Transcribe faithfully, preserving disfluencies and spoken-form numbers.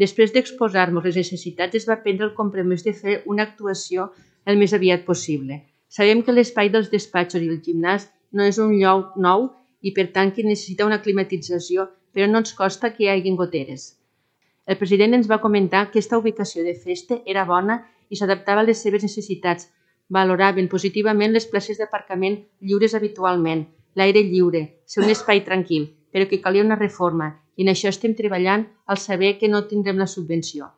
Després d'exposar-nos les necessitats, es va prendre el compromís de fer una actuació el més aviat possible. Sabem que l'espai dels despatxos i el gimnàs no és un lloc nou i per tant que necessita una climatització, però no ens costa que hi hagi goteres. El president ens va comentar que aquesta ubicació de festa era bona i s'adaptava a les seves necessitats. Valoraven positivament les places d'aparcament lliures habitualment, l'aire lliure, ser un espai tranquil, però que calia una reforma i en això estem treballant al saber que no tindrem la subvenció.